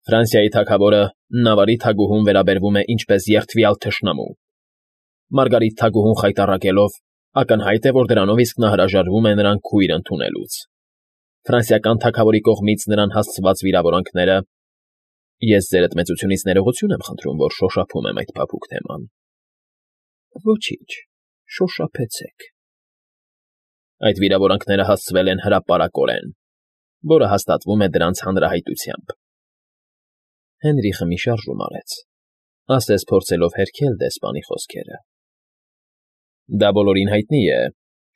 Ֆրանսիայի թագավորը Նավարի թագուհուն վերաբերվում է ինչպես երդվյալ թշնամու։ Մարգարիտ թագուհուն խայտառակելով, ակնհայտ է, որ դրանով իսկ նա հրաժարվում է նրան քույր ընդունելուց։ Ֆրանսիական թագավորի կողմից նրան հասցված վիրավորանքները… Ես ձերդ մեծությունից ներողություն եմ խնդրում, որ շոշափում եմ այդ փափուկ թեման։ Ոչինչ, շոշափեցեք։ Այդ վիրավորանքները հասցվել են հրապարակորեն, որը հաստատվում է դրանց հանրահայտությամբ։ Հենրիխը մի շարժում արեց, ասես փորձելով հերքել դեսպանի խոսքերը։ Դա բոլորին հայտնի է,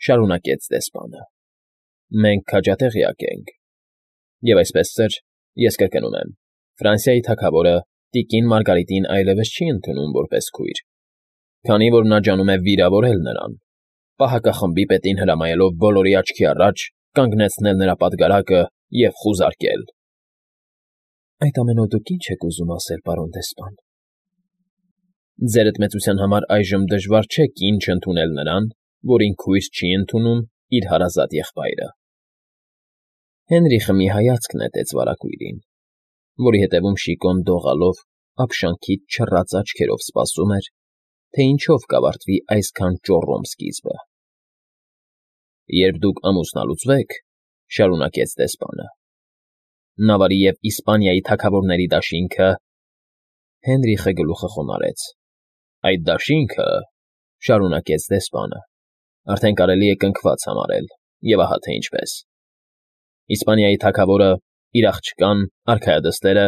շարունակեց դեսպանը։ Մենք քաջատեղյակ ենք։ Եվ այսպես ծեր, ես կրկնում եմ, Ֆրանսիայի թագավորը տիկին Մարգարիտին այլևս չի ընդունում որպես քույր, քանի որ նա ջանում է վիրավորել նրան, պահակախմբի պետին հրամայելով բոլորի աչքի առաջ կանգնեցնել նրա պատգարակը և խուզարկել։ Այդ ամենով դուք ի՞նչ եք ուզում ասել, պարոն դեսպան։ Ձերդ մեծության համար այժմ դժվար չէ կին չընդունել նրան, որին քույր չի ընդունում իր հարազատ եղբայրը։ Հենրիխը մի հայացք նետեց վարագույրին, որի հետևում Շիկոն դողալով ապշանքից չռած աչքերով սպասում էր, թե ինչով կավարտվի այսքան ճոռոմ սկիզբը։ Երբ դուք ամուսնալուծվեք, շարունակեց դեսպանը, Նավարի և Իսպանիայի թագավորների դաշինքը… Հենրիխը գլուխը խոնարհեց։ Այդ դաշինքը, շարունակեց դեսպանը, արդեն կարելի է կնքված համարել, և ահա թե ինչպես։ Իսպանիայի թագավորը, իր աղջկան, արքայադստերը,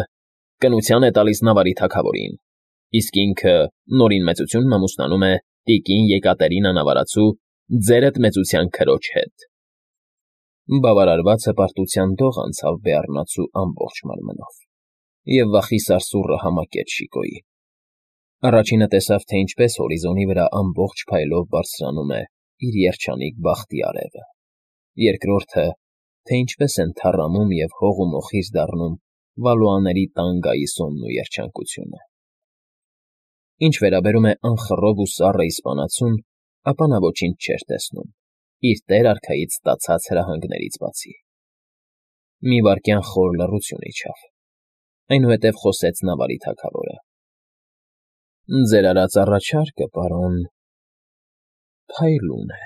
կնության է տալիս Նավարի թագավորին, իսկ ինքը նորին մեծությունն ամուսնանում է տիկին Եկատերինա Նավարացու ձերդ մեծության քրոջ հետ։ Բավարարված հպարտության դող անցավ բեառնացու ամբողջ մարմնով, և վախի սարսուռը համակեց Շիկոյին։ Առաջինը տեսավ, թե ինչպես հորիզոնի վրա ամբողջ փայլով բարձրանում է իր երջանիկ բախտի արևը, երկրորդը, թե ինչպես են թառամում և հող ու մոխիր դառնում Վալուաների տան գայիսոնն ու երջանկությունը։ Ինչ վերաբերում է անխռով ու սառը իսպանացուն, ապա նա ոչինչ չէր տեսնում, իր տեր֊արքայից ստացած հրահանգներից բացի։ Մի վայրկյան խոր լռություն իջավ, այնուհետև խոսեց Նավարի թագավորը. Ձեր արած առաջարկը, պարոն, փայլուն է,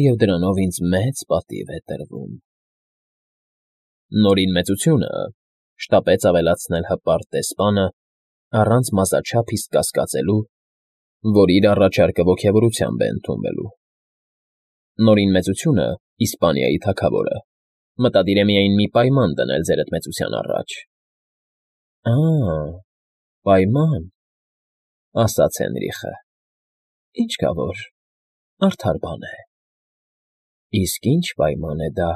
և դրանով ինձ մեծ պատիվ է տրվում։ Նորին մեծությունը, շտապեց ավելացնել հպարտ դեսպանը, առանց մազաչափ իսկ կասկածելու, որ իր առաջարկը ոգևորությամբ է ընդունվելու։ Նորին մեծությունը, Իսպանիայի թագավորը, մտադիր է միայն մի պայման դնել ձերդ մեծության առաջ։ Պայման, ասաց Հենրիխը, ինչ կա որ, արդար բան է։ Իսկ ինչ պայման է դա։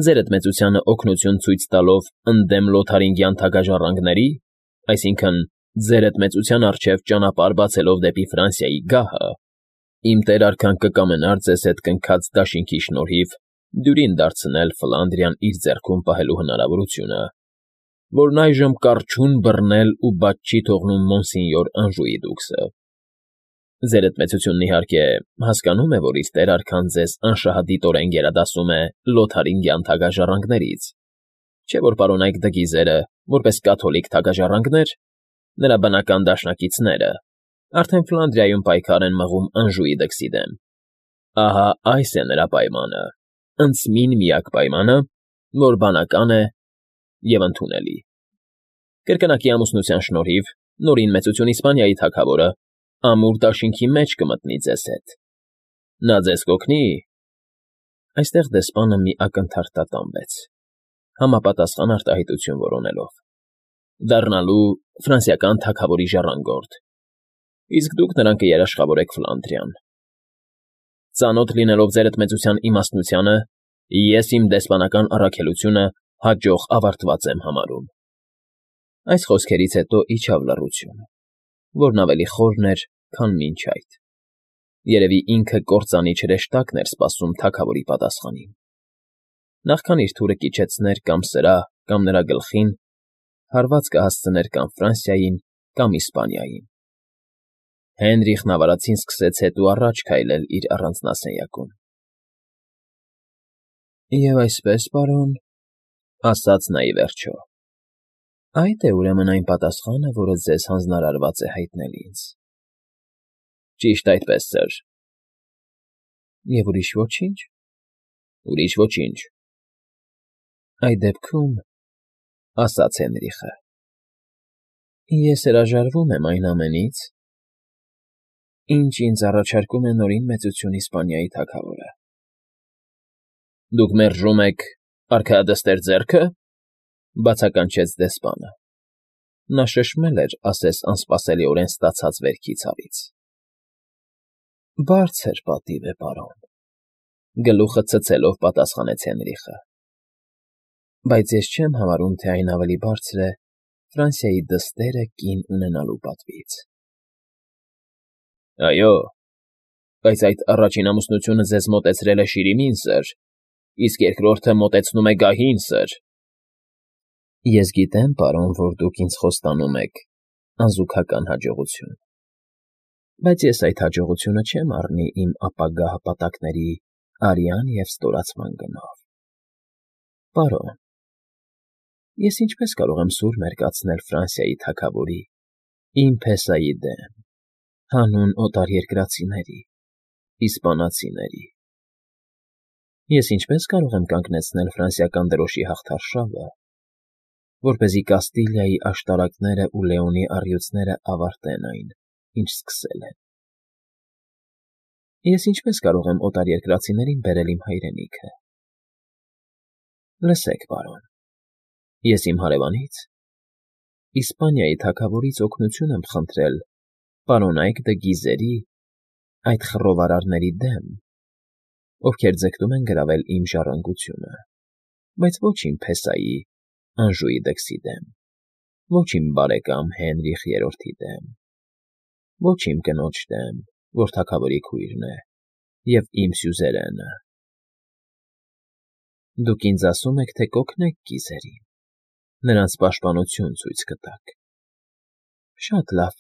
Ձերդ մեծությանը օգնություն ցույց տալով ընդդեմ Լոթարինգյան թագաժառանգների, այսինքն ձերդ մեծության առջև ճանապարհ բացելով դեպի Ֆրանսիայի գահը, իմ տեր֊արքան կկամենար ձեզ հետ կնքած դաշինքի շնորհիվ դյուրին դարձնել Ֆլանդրիան իր ձեռքում պահելու հնարավորությունը, որն այժմ կառչուն բռնել ու բաց չի թողնում մոնսինյոր Անժուի դուքսը։ Ձերդ մեծությունն իհարկե հասկանում է, որ իր տեր֊արքան ձեզ անշահադիտորեն գերադասում է Լոթարինգյան թագաժառանգներից, չէ՞ որ պարոնայք դգիզերը, որպես կաթոլիկ թագաժառանգներ, նրա բնական դաշնակիցները, արդեն Ֆլանդրիայում պայքար են մղում Անժուի դքսի դեմ։ Ահա այս է նրա պայմանը, ընդսմին միակ պայմանը, որ բանական է և ընդունելի։ Կրկնակի ամուսնության շնորհիվ նորին մեծություն Իսպանիայի թագավորը ամուր դաշինքի մեջ կմտնի ձեզ հետ։ Նա ձեզ կօգնի… Այստեղ դեսպանը մի ակնթարթ տատանվեց, համապատասխան արտահայտություն որոնելով. Դառնալու ֆրանսիական թագավորի ժառանգորդ, իսկ դուք նրան կերաշխավորեք Ֆլանդրիան։ Ծանոթ լինելով ձերդ մեծության իմաստնությանը, ես իմ դեսպանական առաքելությունը հաջող ավարտված եմ համարում։ Այս խոսքերից հետո իջավ լռություն, որն ավելի խորն էր, քան մինչ այդ։ Երևի ինքը կործանի չրեշտակն էր սպասում թագավորի պատասխանին։ Նախքան իր թուրը կիջեցներ կամ սրա, կամ նրա գլխին, հարված կհասցներ կամ Ֆրանսիային, կամ Իսպանիային։ Հենրիխն ավարածին սկսեց հետ ու առաջ քայլել իր առանձնասենյակում։ Եվ այսպես, պարոն, ասաց նա ի վերջո, Այդ է ուրեմն այն պատասխանը, որը ձեզ հանձնարարված է հայտնել ինձ։ Ճիշտ այդպես, սըր։ Եվ ուրիշ ոչինչ։ Ուրիշ ոչինչ։ Այդ դեպքում, ասաց Հենրիխը, ես հրաժարվում եմ այն ամենից, ինչ ինձ առաջարկում է Նորին Մեծություն Իսպանիայի թագավորը։ Դուք մերժում եք արքայադստեր ձեռքը, բացականչեց դեսպանը։ Նա շշմել էր, ասես անսպասելիորեն ստացած վերքի ցավից։ Բարձր պատիվ է, պարոն, գլուխը ցցելով պատասխանեց Հենրիխը։ Բայց ես չեմ համարում, թե այն ավելի բարձր է Ֆրանսիայի դստերը կին ունենալու պատվից։ Այո, բայց այդ առաջին ամուսնությունը ձեզ մոտեցրել է Շիրիմին, սըր, իսկ երկրորդը մոտեցնում է գահին, սըր։ Ես գիտեմ, պարոն, որ դուք ինձ խոստանում եք անզուգական հաջողություն, բայց ես այդ հաջողությունը չեմ առնի իմ ապագա հպատակների արյան և ստորացման գնով։ Պարոն, ես ինչպես կարող եմ սուր մերկացնել Ֆրանսիայի թագավորի, իմ փեսայի դեմ, հանուն օտարերկրացիների, իսպանացիների։ Ես ինչպես կարող եմ կանգնեցնել ֆրանսիական դրոշի հաղթարշավը, որպեսզի Կաստիլիայի աշտարակները ու Լեոնի առյուծները ավարտեն այն, ինչ սկսել են։ Ես ինչպես կարող եմ օտարերկրացիներին բերել իմ հայրենիքը։ Լսեք, պարոն, ես իմ հարևանից, Իսպանիայի թագավորից օգնություն եմ խնդրել պարոնայք դը Գիզերի, այդ խռովարարների դեմ, ովքեր ձգտում են գրավել իմ ժառանգությունը, բայց ոչ իմ փեսայի, Անժուի դքսի դեմ, ոչ իմ բարեկամ Հենրիխ III-ի դեմ, ոչ իմ կնոջ դեմ, որ թագավորի քույրն է, և իմ սյուզերենը։ Դուք ինձ ասում եք, թե կօգնեք Գիզերին, նրանց պաշտպանություն ցույց կտաք։ Շատ լավ։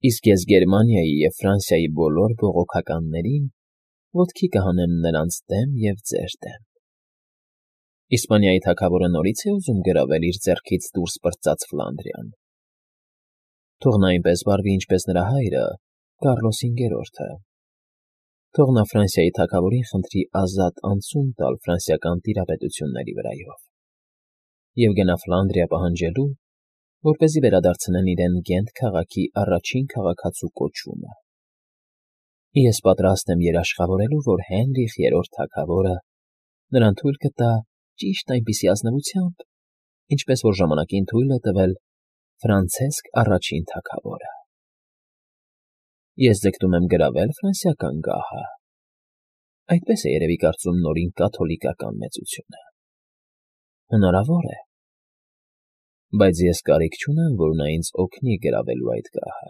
Իսկ ես Գերմանիայի և Ֆրանսիայի բոլոր բողոքականներին ոտքի կհանեմ նրանց դեմ և ձեր դեմ։ Իսպանիայի թագավորը նորից է ուզում գրավել իր ձեռքից դուրս պրծած Ֆլանդրիան։ Թող նա այնպես վարվի, ինչպես նրա հայրը, Կառլոս V-ը։ Թող նա Ֆրանսիայի թագավորին խնդրի ազատ անցում տալ ֆրանսիական տիրապետությունների վրայով և գնա Ֆլանդրիա պահանջելու, որպեսզի վերադարձնեն իրեն Գենտ քաղաքի առաջին քաղաքացու կոչումը։ Ես պատրաստ եմ երաշխավորելու, որ Հենրիխ III թագավորը նրան թույլ կտա ճիշտ այնպիսի ազնվությամբ, ինչպես որ ժամանակին թույլ է տվել Ֆրանցիսկ I թագավորը։ Ես ձգտում եմ գրավել ֆրանսիական գահը։ Այդպես է երևի կարծում Նորին կաթոլիկական մեծությունը։ Հնարավոր է, բայց ես կարիք չունեմ, որ նա ինձ օգնի գրավելու այդ գահը։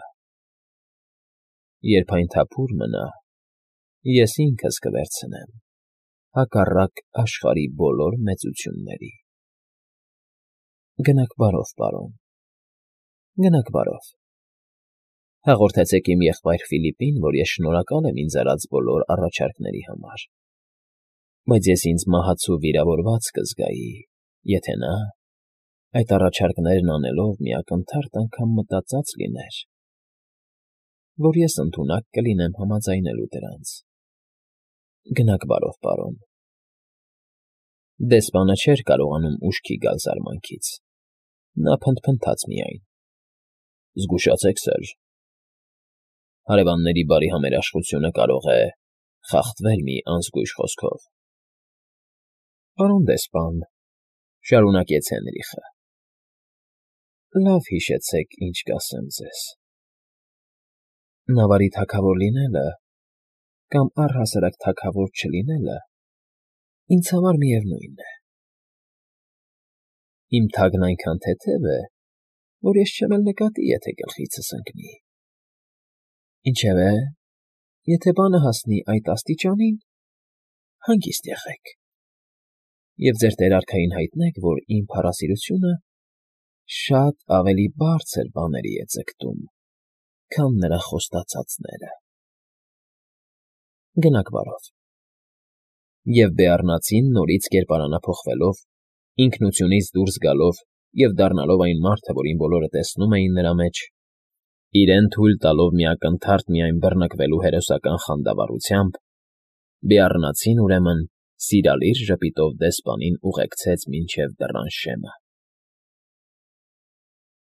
Երբ այն թափուր մնա, ես ինքս կվերցնեմ, հակառակ աշխարհի բոլոր մեծությունների։ Գնաք բարով, պարոն, գնաք բարով։ Հաղորդեցեք իմ եղբայր Ֆիլիպին, որ ես շնորհակալ եմ ինձ արած բոլոր առաջարկների համար, բայց ես ինձ մահացու վիրավորված կզգայի, եթե նա, այդ առաջարկներն անելով մի ակնթարթ անգամ մտածած լիներ, որ ես ընդունակ կլինեմ համաձայնելու դրանց։ Գնաք բարով, պարոն։ Դեսպանը չէր կարողանում ուշքի գալ զարմանքից։ Նա փնթփնթաց միայն։ Զգուշացեք, սըր։ Հարևանների բարի համերաշխությունը կարող է խախտվել մի անզգույշ խոսքով։ Պարոն դեսպան, շարունակեց Հենրիխը, լավ հիշեցեք, ինչ կասեմ ձեզ։ Նավարի թագավոր լինելը կամ առհասարակ թագավոր չլինելը ինձ համար միևնույն է։ Իմ թագն այնքան թեթև է, որ ես չեմ էլ նկատի, եթե գլխիցս ընկնի։ Ինչևէ, եթե բանը հասնի այդ աստիճանին, հանգիստ եղեք և ձեր տեր֊արքային հայտնեք, որ իմ փառասիրությունը շատ ավելի բարձր բաների է ձգտում, քան նրա խոստացածները։ Գնաք բարով։ Եվ Բեառնացին նորից կերպարանափոխվելով, ինքնությունից դուրս գալով և դառնալով այն մարդը, որին բոլորը տեսնում էին նրա մեջ, իրեն թույլ տալով մի ակնթարթ միայն բռնկվելու հերոսական խանդավառությամբ, բիառնացին, ուրեմն, սիրալիր ժպիտով դեսպանին ուղեկցեց մինչև դռան շեմը։